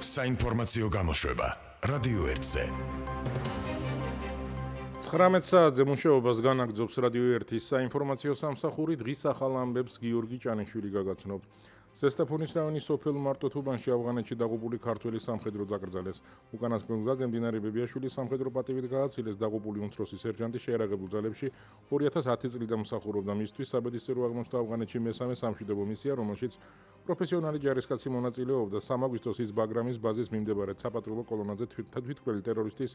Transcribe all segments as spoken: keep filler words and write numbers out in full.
საინფორმაციო გამოშვება რადიო ერთზე. ცხრამეტ საათზე მუშაობას განაგრძობს რადიო ერთის საინფორმაციო სამსახური. დღის ახალ ამბებს გიორგი ჭანიშვილი გაგაცნობთ. ზესტაფონის რაიონის სოფელ მარტოთუბანში ავღანეთში დაღუპული ქართველი სამხედრო დაკრძალეს. უკანასკნელ გზაზე მდინარე ბებიაშვილის სამხედრო პატივით გააცილეს დაღუპული უმცროსი სერჟანტი შეერაგებულ ძალებში ორი ათას ათი წლიდან მსახურობდა. მისთვის საბედისწერო აღმოჩნდა ავღანეთში მესამე სამშვიდობო მისია, რომელშიც პროფესიონალი ჯარისკაცი მონაწილეობდა. სამ აგვისტოს ის ბაგრამის ბაზის მიმდებარე საპატრულო კოლონაზე თვითმკვლელი ტერორისტის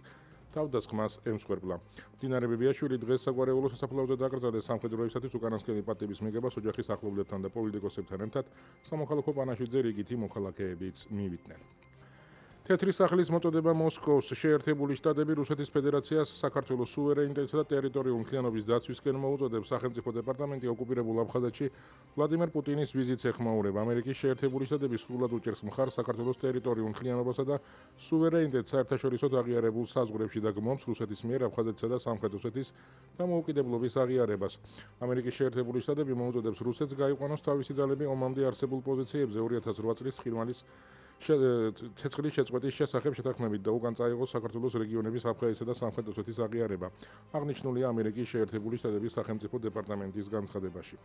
თავდასხმას ემსხვერპლა. მდინარე ბებიაშვილი დღეს საგვარეულო სასაფლაოზე დაკრძალეს. სამხედროებისათვის უკანასკნელი პატივის მიღებას ოჯახის ახლობლებთან და პოლიტიკოსებთან ერთად სამოქალაქო პანაშვიდზე რიგითი მოქალაქეებიც მივიდნენ. თეთრი სახლის მოწოდება მოსკოვს შეერთებული შტატები რუსეთის ფედერაციას საქართველოს სუვერენიტეტისა და ტერიტორიული მთლიანობის დაცვისკენ მოუწოდებს. სახელმწიფო დეპარტამენტი ოკუპირებულ აფხაზეთში ვლადიმერ პუტინის ვიზიტს ეხმაურება. ამერიკის შეერთებული შტატები სრულად უჭერს მხარს საქართველოს ტერიტორიულ მთლიანობასა და სუვერენიტეტს საერთაშორისოდ აღიარებულ საზღვრებში და გმობს რუსეთის მიერ აფხაზეთსა და სამხრეთ ოსეთის დამოუკიდებლობის აღიარებას. ამერიკის შეერთებული შტატები მოუწოდებს რუსეთს გაიყვანოს თავისი ძალები ომამდე არსებულ პოზიციებზე. ორი ათას რვა წლის ხირმალის ცეცხლის შეწყვეტის შესახებ შეთანხმებით და უკან წაიღოს საქართველოს რეგიონების აფხაზეთისა და სამხრეთ ოსეთის აღიარება. აღნიშნულია ამერიკის შეერთებული შტატების სახელმწიფო დეპარტამენტის განცხადებაში.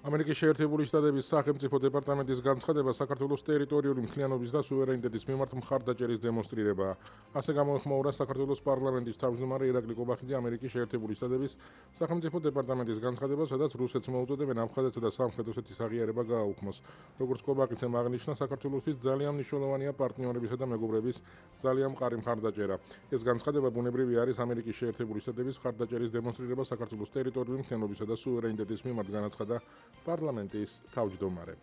ამერიკის შეერთებული შტატების სახელმწიფო დეპარტამენტის განცხადება საქართველოს ტერიტორიული მთლიანობის და სუვერენიტეტის მიმართ მხარდაჭერის დემონსტრირებაა. ასე გამოეხმაურა საქართველოს პარლამენტის თავმჯდომარე ირაკლი კობახიძე ამერიკის შეერთებული შტატების სახელმწიფო დეპარტამენტის განცხადებას, სადაც რუსეთს მოუწოდებენ აფხაზეთსა და სამხრეთ ოსეთის აღიარება გააუქმოს. როგორც კობახიძემ აღნიშნა, საქართველოსთვის ძალიან მნიშვნელოვანია პარტნიორებისა და მეგობრების ძალიან მყარი მხარდაჭერა. ეს განცხადება ბუნებრივი არის ამერიკის შეერთებული შტატების მხარდაჭერის დემონსტრირება საქართველოს ტერიტორიული მთლიანობისა და სუვერენიტეტის მიმართ, განაცხადა პარლამენტის თავმჯდომარე.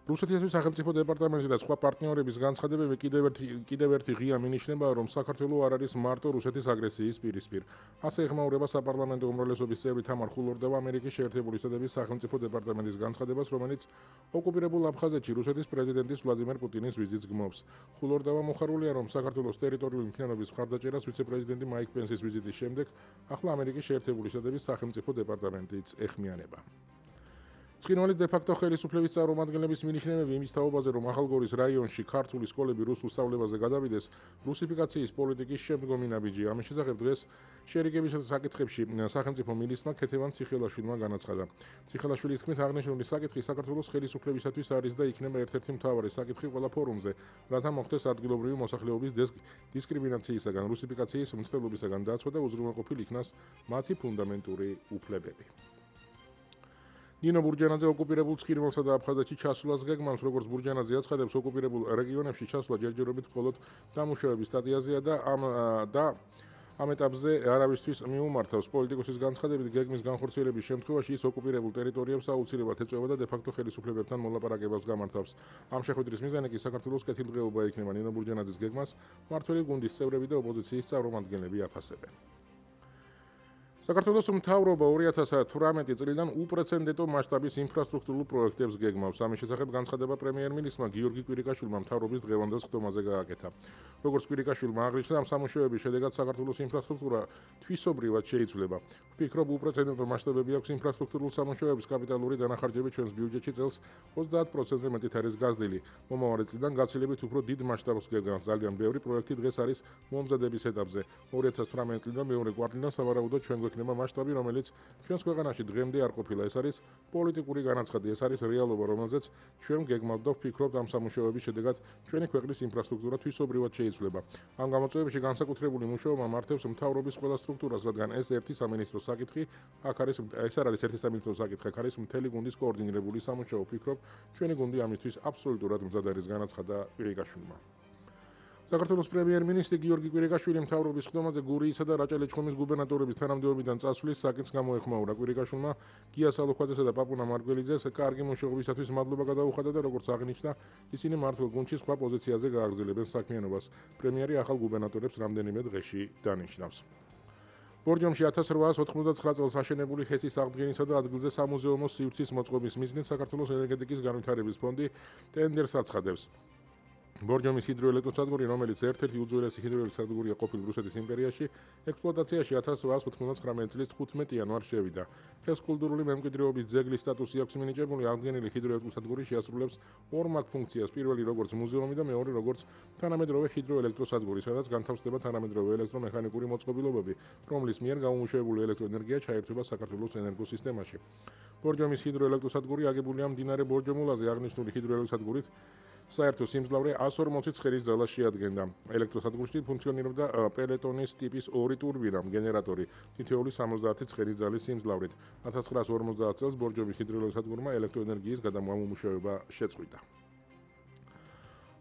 რუსეთის სახელმწიფო დეპარტამენტი და სხვა პარტნიორების განცხადებები კიდევ ერთი კიდევ ერთი ღია მინიშნებაა, რომ საქართველო არ არის მარტო რუსეთის აგრესიის პირისპირ. ასე ეხმაურება საპარლამენტო უმრავლესობის წევრი თამარ ხულორდავა ამერიკის შეერთებული შტატების სახელმწიფო დეპარტამენტის განცხადებას, რომელიც ოკუპირებულ აფხაზეთში რუსეთის პრეზიდენტის ვლადიმერ პუტინის ვიზიტს გმობს. ხულორდავა მოხარულია, რომ საქართველოს ტერიტორიული მთლიანობის მხარდაჭერას ვიცე-პრეზიდენტი მაიკ პენსის ვიზიტის შემდეგ ახლა ამერიკის შეერთებული შტატების სახელმწიფო დეპარტამენტიც ეხმიანება. ცხინვალის დე-ფაქტო ხელისუფლების წარმომადგენლების მინიშნებები იმის თაობაზე, რომ ახალგორის რაიონში ქართული სკოლები რუსულ სწავლებაზე გადავიდეს, რუსიფიკაციის პოლიტიკის შემდგომი ნაბიჯია. ამის შესახებ დღეს შერიგების საკითხებში სახელმწიფო მინისტრმა ქეთევან ციხელაშვილმა განაცხადა. ციხელაშვილის თქმით, აღნიშნული საკითხი საქართველოს ხელისუფლებისათვის არის და იქნება ერთ-ერთი მთავარი საკითხი ყველა ფორუმზე, რათა მოხდეს ადგილობრივი მოსახლეობის დისკრიმინაციისაგან, რუსიფიკაციის მცდელობისაგან დაცვა და უზრუნველყოფილ იქნას მათი ფუნდამენტური უფლებები. ნინო ბურჯანაძე ოკუპირებულ ცხინვალსა და აფხაზეთში ჩასვლას გეგმავს. როგორც ბურჯანაძე აცხადებს, ოკუპირებულ რეგიონებში ჩასვლა ჯერჯერობით მხოლოდ დამუშავების სტადიაზეა და ამ და ამ ეტაპზე არავისთვის მიუმართავს. პოლიტიკოსის განცხადებით, გეგმის განხორციელების შემთხვევაში ის ოკუპირებულ ტერიტორიებს აუცილებლად ეწევა და დე-ფაქტო ხელისუფლებებთან მოლაპარაკებებს გამართავს. ამ შეხვედრის მიზანი კი საქართველოს კეთილდღეობა იქნება. ნინო ბურჯანაძის გეგმას მმართველი გუნდის წევრები და ოპოზიციის წარმომადგენლები აფასებენ. საქართველოს მთავრობა ორი ათას თვრამეტი წლიდან უპრეცედენტო მასშტაბის ინფრასტრუქტურულ პროექტებს გეგმავს. ამის შესახებ განცხადება პრემიერ-მინისტრმა გიორგი კვირიკაშვილმა მთავრობის დღევანდელ სხდომაზე გააკეთა. როგორც კვირიკაშვილმა აღნიშნა, ამ სამუშაოების შედეგად საქართველოს ინფრასტრუქტურა თვისობრივად შეიცვლება. ვფიქრობ, უპრეცედენტო მასშტაბები აქვს ინფრასტრუქტურულ სამუშაოების კაპიტალური დანახარჯები ჩვენს ბიუჯეტში წელს ოცდაათ პროცენტზე მეტით არის გაზრდილი. მომავალი წლიდან გაცილებით უფრო დიდ მასშტაბს გეგმავს. ძალიან ბევრი პროექტი დღეს არის მომზადების ეტაპზე. ორი ათას თვრამეტი წლიდან მეორე კვარტლიდან სავარაუდოდ ჩვენ იქნება მასშტაბი, რომელიც ჩვენს ქვეყანაში დღემდე არ ყოფილა. ეს არის პოლიტიკური განაცხადი, ეს არის რეალობა, რომელზეც ჩვენ გეგმავთ და ვფიქრობთ, ამ სამუშაოების შედეგად ჩვენი ქვეყნის ინფრასტრუქტურა თვისობრივად შეიცვლება. ამ გამოწვევებში განსაკუთრებული მუშაობა მართებს მთავრობის ყველა სტრუქტურას, რადგან ეს ერთი სამინისტროს საკითხი, აქ არის ეს არ არის ერთი სამინისტროს საკითხი, აქ არის მთელი გუნდის კოორდინირებული სამუშაო. ვფიქრობ, ჩვენი გუნდი ამისთვის აბსოლუტურად მზად არის, განაცხადა კვირიკაშვილმა. საქართველოს პრემიერ-მინისტრი გიორგი კვირიკაშვილი მთავრობის სხდომაზე გურიისა და რაჭა-ლეჩხუმის გუბერნატორების თანამდებობიდან წასვლის საკითხს გამოეხმაურა. კვირიკაშვილმა გია სალოქვაძესა და პაპუნა მარგველიძეს კარგი მუშაობისათვის მადლობა გადაუხადა და როგორც აღნიშნა, ისინი მართლ გუნდში სხვა პოზიციაზე გააგრძელებენ საქმიანობას. პრემიერი ახალ გუბერნატორებს რამდენიმე დღეში დანიშნავს. ბორჯომში ათას რვაას ოთხმოცდაცხრა წელს აშენებული ჰესის აღდგენისა და ადგილზე სამუზეუმო სივრცის მოწყობის მიზნით საქართველოს ენერგეტიკის განვითარების ფონდი ტენდერს აცხადებს. ბორჯომის ჰიდროელექტროსადგური, რომელიც ერთ-ერთი უძველესი ჰიდროელექტროსადგურია ყოფილ რუსეთის იმპერიაში, ექსპლუატაციაში ათას რვაას ოთხმოცდათხმეტ წლის თხუთმეტი იანვარს შევიდა. ეს კულტურული მემკვიდრეობის ძეგლის სტატუსი აქვს მინიჭებული, აღდგენილი ჰიდროელექტროსადგური შეასრულებს ორ მაგ ფუნქციას, პირველი როგორც მუზეუმი და მეორე როგორც თანამედროვე ჰიდროელექტროსადგური, სადაც განთავსდება თანამედროვე ელექტრომექანიკური მოწყობილობები, რომლის მიერ გამომუშავებული ელექტროენერგია ჩაერთვება საქართველოს ენერგოსისტემაში. ბორჯომის ჰიდროელექტროსადგური აგებულია მდინარე ბორჯომულაზე აღნიშნული ჰიდროელექტროსადგურით. საერთო სიმძლავრე ას ორმოცი ცხერის ძალას შეადგენდა. ელექტროსადგურში ფუნქციონირებდა პელეტონის ტიპის ორი ტურბინა, გენერატორი, თითოეული სამოცდაათი ცხერის ძალის სიმძლავრით. ათას ცხრაას ორმოცდაათ წელს ბორჯომის ჰიდროელექტროსადგურმა ელექტროენერგიის გადამამუშავება შეწყვიტა.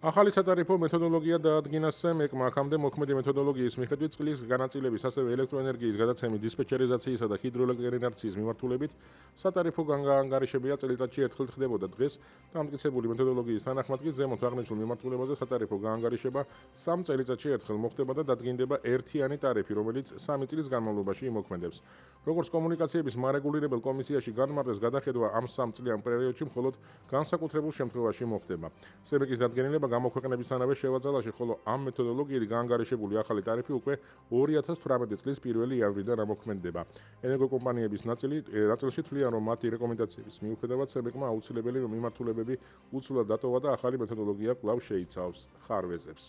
ახალი სატარიფო მეთოდოლოგია დაადგინა სემეკმა, აქამდე მოქმედი მეთოდოლოგიის მიხედვით წყლის განაწილების, ასევე ელექტროენერგიის გადაცემის, დისპეჩერიზაციისა და ჰიდროელექტროენერგიის მიმართულებით სატარიფო განგარიშებია წელიწადში ერთხელ ხდებოდა. დღეს დამტკიცებული მეთოდოლოგიის თანახმად კი ზემოთ აღნიშნულ მიმართულებაზე სატარიფო განგარიშება სამ წელიწადში ერთხელ მოხდება და დადგინდება ერთიანი ტარიფი, რომელიც სამი წლის განმავლობაში იმოქმედებს. როგორც კომუნიკაციების მარეგულირებელ კომისიაში განმარტეს, გადახედვა ამ სამ წლიან პერიოდში მხოლოდ განსაკუთრებულ შემთხვევაში მოხდება. სემეკის დადგენილება გამოქვეყნებისთანავე შევაძალაში, ხოლო ამ მეთოდოლოგიით განგარიშებული ახალი ტარიფი უკვე ორი ათას თვრამეტი წლის პირველი იანვრიდან ამოქმედდება. ენერგოკომპანიების ნაწილი ნაწილში თვლიან, რომ მათი რეკომენდაციების მიუხედავად სემეკმა აუცილებელი მიმართულებები უცვლად დატოვა და ახალი მეთოდოლოგია კვლავ შეიცავს ხარვეზებს.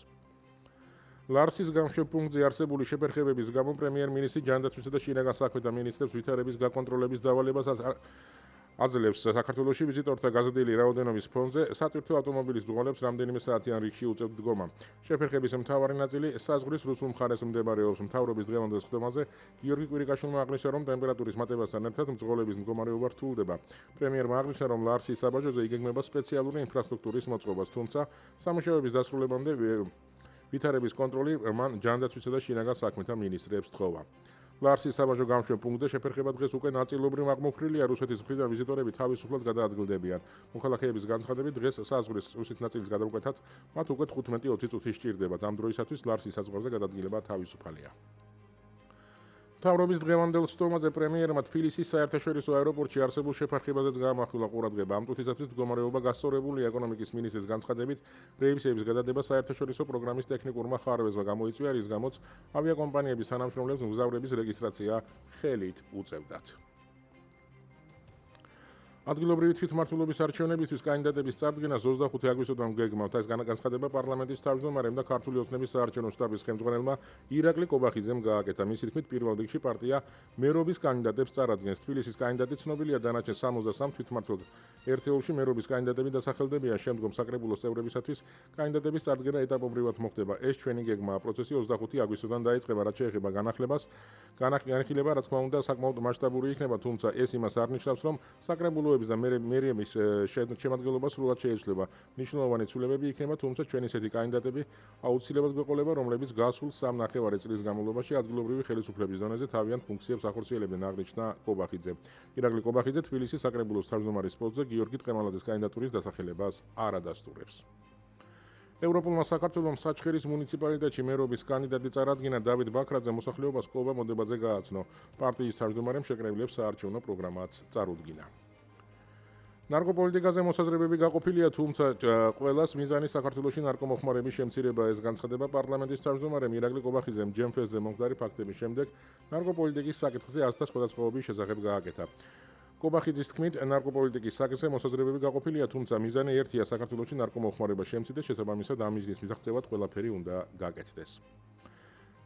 ლარსის გამშვებ პუნქტზე არსებული შეფერხებების გამო პრემიერ-მინისტრი ჯანდაცვისა და შინაგან საქმეთა მინისტრებს ვითარების გაკონტროლების დავალებას აძლევს საქართველოში ვიზიტორთა გაზრდილი რაოდენობის ფონზე სატვირთო ავტომობილის მძღოლებს რამდენიმე საათიან რიგში უწევთ დგომა. შეფერხების მთავარი ნაწილი საზღვრის რუსულ მხარეს მდებარეობს. მთავრობის დღევანდელ სხდომაზე გიორგი კვირიკაშვილმა აღნიშნა, რომ ტემპერატურის მატებასთან ერთად მძღოლების მდგომარეობა რთულდება. პრემიერმა აღნიშნა, რომ ლარსის საბაჟოზე იგეგმება სპეციალური ინფრასტრუქტურის მოწყობას, თუმცა სამუშაოების დასრულებამდე ვითარების კონტროლი მან ჯანდაცვისა და შინაგან საქმეთა მინისტრებს თხოვა. ლარსის საბაჟო გამშვებ პუნქტზე შეფერხება დღეს უკვე ნაწილობრივ აღმოფხვრილია, რუსეთის მხრიდან ვიზიტორები თავისუფლად გადაადგილდებიან. მოქალაქეების განცხადებით, დღეს საზღვრის რუსეთის ნაწილის გადამკვეთად მათ უკვე თხუთმეტი ოცი წუთი სჭირდებათ. ამ დროისათვის ლარსის საზღვარზე გადადგილება თავისუფალია. მთავრობის დღევანდელ სხდომაზე პრემიერმა თბილისის საერთაშორისო აეროპორტში არსებულ შეფარხებაზეც გაამახვილა ყურადღება. ამ წუთისათვის მდგომარეობა გასწორებულია. ეკონომიკის მინისტრის განცხადებით, რეისების გადადება საერთაშორისო პროგრამის ტექნიკურმა ხარვეზმა გამოიწვია, რის გამოც ავიაკომპანიების თანამშრომლებს მგზავრების რეგისტრაცია ხელით უწევდათ. ადგილობრივი თვითმმართველობის არჩევნებისთვის კანდიდატების წარდგენას ოცდახუთი აგვისტოდან გეგმავთ. ეს განაცხადება პარლამენტის თავმჯდომარემ და ქართული ოცნების საარჩევნო შტაბის ხელმძღვანელმა ირაკლი კობახიძემ გააკეთა. მისი თქმით, პირველ რიგში პარტია მერობის კანდიდატებს წარადგენს. თბილისის კანდიდატი ცნობილია, დანარჩენ სამოცდასამ თვითმმართველ ერთეულში მერობის კანდიდატები დასახელდებიან. შემდგომ საკრებულოს წევრებისათვის კანდიდატების წარდგენა ეტაპობრივად მოხდება. ეს ჩვენი გეგმაა. პროცესი ოცდახუთი აგვისტოდან დაიწყება, რაც შეეხება განახლებას. განახლება, რა თქმა უნდა, საკმაოდ მასშტაბური იქნება, თუმცა ეს იმას არ ნიშნავს, რომ საკრებულო და მერიების შემადგენლობა სრულად შეიცვლება. მნიშვნელოვანი ცვლილებები იქნება, თუმცა ჩვენი ესეთი კანდიდატები აუცილებლად გვეყოლება, რომლებიც გასულ სამ ნახევარი წლის განმავლობაში ადგილობრივი ხელისუფლების დონეზე თავიანთ ფუნქციებს ახორციელებდნენ, აღნიშნა კობახიძე. ირაკლი კობახიძე თბილისის საკრებულოს თავმჯდომარის პოსტზე გიორგი ტყემალაძის კანდიდატურის დასახელებას არ ადასტურებს. ევროპულმა საქართველოს საჩხერის მუნიციპალიტეტში მერობის კანდიდატი წარადგინა. დავით ბაქრაძე მოსახლეობას კობა მოდებაზე გააცნო. პარტიის თავმჯდომარემ შეკრებილებს საარჩევნო პროგრამაც წარუდგინა. ნარკოპოლიტიკაზე მოსაზრებები გაყოფილია, თუმცა ყველას მიზანი საქართველოში ნარკომოხმარების შემცირება. ეს განცხადება პარლამენტის თავმჯდომარემ ირაკლი კობახიძემ ჯემფესზე მომხდარი ფაქტების შემდეგ ნარკოპოლიტიკის საკითხზე აზრთა სხვადასხვაობის შესახებ გააკეთა. კობახიძის თქმით, ნარკოპოლიტიკის საკითხზე მოსაზრებები გაყოფილია, თუმცა მიზანი ერთია, საქართველოში ნარკომოხმარება შემცირდეს, შესაბამისად ამ მიზნის მისაღწევად ყველაფერი უნდა გაკეთდეს.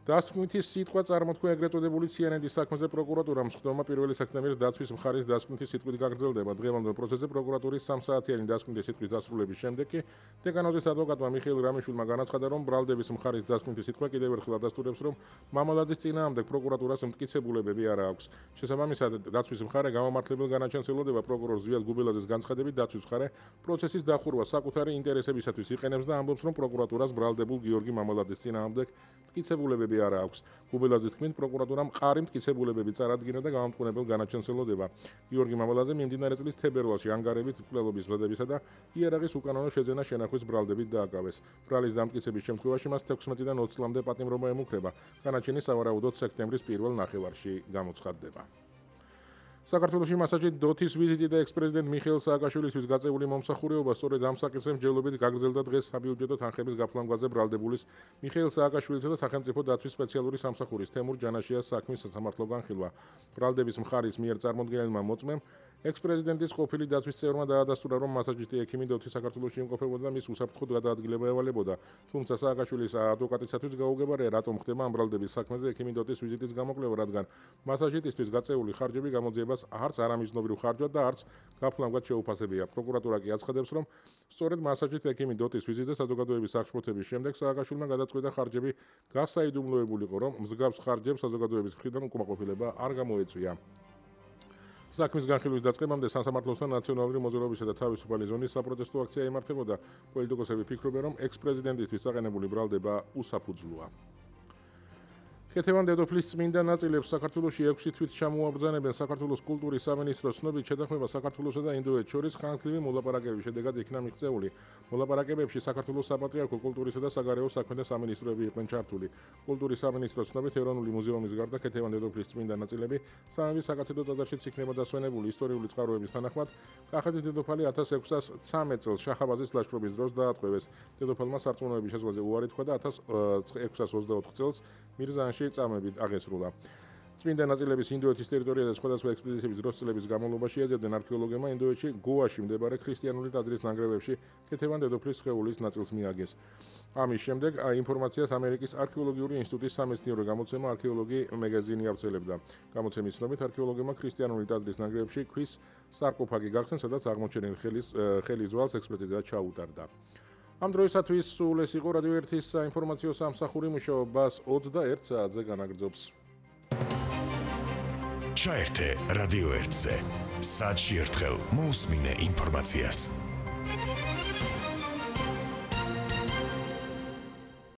დასკვნითი სიტყვა წარმოთქვა ეგრეთ წოდებული ციანედის საქმეზე პროკურატურამ. სხდომა პირველი სექტემბრის დაცვის მხარის დასკვნითი სიტყვით გაგრძელდება. დღევანდელ პროცესზე პროკურატურის სამ საათიანი დასკვნითი სიტყვის დასრულების შემდეგ კი დეკანოზის ადვოკატმა მიხეილ რამიშვილმა განაცხადა, რომ ბრალდების მხარის დასკვნითი სიტყვა კიდევ ერთხელ ადასტურებს, რომ მამალაძის წინააღმდეგ პროკურატურას მტკიცებულებები არ აქვს. შესაბამისად, დაცვის მხარე გამომართლებელ განაჩენს ელოდება პროკურორ ზვიად გუბილაძის განცხადებით, დაცვის მხარე პროცესის დახურვა საკუთარი ინტერესებისათვის იყენებს და ამბობს, რომ პროკურატურას ბრალდებულ გიორგი მამალაძის წინააღმდეგ მტკიცებულებები არ აქვს. გუბილაძის თქმით, პროკურატურამ მყარი მტკიცებულებები წარადგინა და გამამტყუნებელ განაჩენს ელოდება. გიორგი მამალაძე მიმდინარე წლის თებერვალში ანგარებით მკვლელობის მზადებისა და იარაღის უკანონო შეძენა შენახვის ბრალდებით დააკავეს. ბრალის დამტკიცების შემთხვევაში მას თექვსმეტიდან ოცი წლამდე პატიმრობა ემუქრება. განაჩენი სავარაუდოდ სექტემბრის პირველ ნახევარში გამოცხადდება. საქართველოში მასაჯით დოთის ვიზიტი და ექს-პრეზიდენტ მიხეილ სააკაშვილისთვის გაწეული მომსახურეობა სწორედ ამ საკითხზე მსჯელობით გაგრძელდა დღეს საბიუჯეტო თანხების გაფლანგვაზე ბრალდებულის მიხეილ სააკაშვილისა და სახელმწიფო დაცვის სპეციალური სამსახურის თემურ ჯანაშიას საქმის სასამართლო განხილვა. ბრალდების მხარის მიერ წარმოდგენილმა მოწმემ ექს-პრეზიდენტის ყოფილი დაცვის წევრმა დაადასტურა, რომ მასაჯითი ექიმი დოთის საქართველოში იმყოფებოდა და მის უსაფრთხოდ გადაადგილება ევალებოდა. თუმცა სააკაშვილის ადვოკატისათვის გაუგებარია, რატომ ხდება ამ ბრალდების საქმეზე ექიმი დოთის ვიზიტის გამოკვლევა, რადგან მასაჯიტისთვის გაწეული ხარჯები გამოძიებას არც არამიზნობრივ ხარჯად და არც გაფლანგვად შეუფასებია. პროკურატურა კი აცხადებს, რომ სწორედ მასაჯით ექიმი დოთის ვიზიტზე საზოგადოების აღშფოთების შემდეგ სააკაშვილმა გადაწყვიტა ხარჯები გასაიდუმლოებულიყო, რომ მსგავს ხარჯებს საზოგადოების მხრიდან უკმაყოფილება არ გამოეწვია. საქმის განხილვის დაწყებამდე სასამართლოსთან ნაციონალური მოძრაობისა და თავისუფალი ზონის საპროტესტო აქცია იმართებოდა. პოლიტიკოსები ფიქრობენ, რომ ექს-პრეზიდენტისთვის აყენებული ბრალდება უსაფუძვლოა. ქეთევან დედოფლის წმინდა ნაწილებს საქართველოში ექვსი თვით ჩამოაბრძანებენ. საქართველოს კულტურის სამინისტროს ცნობით შეთანხმება საქართველოსა და ინდოეთს შორის ხანგრძლივი მოლაპარაკებების შედეგად იქნა მიღწეული. მოლაპარაკებებში საქართველოს საპატრიარქო კულტურისა და საგარეო საქმეთა სამინისტროები იყვნენ ჩართული. კულტურის სამინისტროს ცნობით ეროვნული მუზეუმის გარდა ქეთევან დედოფლის წმინდა ნაწილები სამების საკათედრო ტაძარშიც იქნება დასვენებული. ისტორიული წყაროების თანახმად კახეთის დედოფალი ათას ექვსას ცამეტ წელს შაჰაბაზის ლაშქრობის დროს დაატყვევეს. დედოფალმა სარწმუნოების შესვლაზე უარი თქვა და ათას ექვსას ოცდაოთხ წელს მირზაანში წამებით აღესრულა. წმინდა ნაწილების ინდოეთის ტერიტორიაზე სხვადასხვა ექსპედიციების დროს წლების განმავლობაში ეძებდნენ არქეოლოგებმა ინდოეთში გოაში მდებარე ქრისტიანული ტაძრის ნანგრევებში ქეთევან დედოფლის სხეულის ნაწილს მიაგეს. ამის შემდეგ ინფორმაციას ამერიკის არქეოლოგიური ინსტიტუტის სამეცნიერო გამოცემა არქეოლოგი მაგაზინი ავრცელებდა. გამოცემის ცნობით არქეოლოგებმა ქრისტიანული ტაძრის ნანგრევებში ქვის სარკოფაგი გახსნეს, სადაც აღმოჩენილ ხელის ხელის ძვალს ექსპერტიზა ჩაუტარდა. ამ დროისათვის სულ ეს იყო რადიო ერთის საინფორმაციო სამსახური მუშაობას ოცდაერთ საათზე განაგრძობს. ჩაერთე რადიო ერთზე. საათში ერთხელ მოусმინე ინფორმაციას.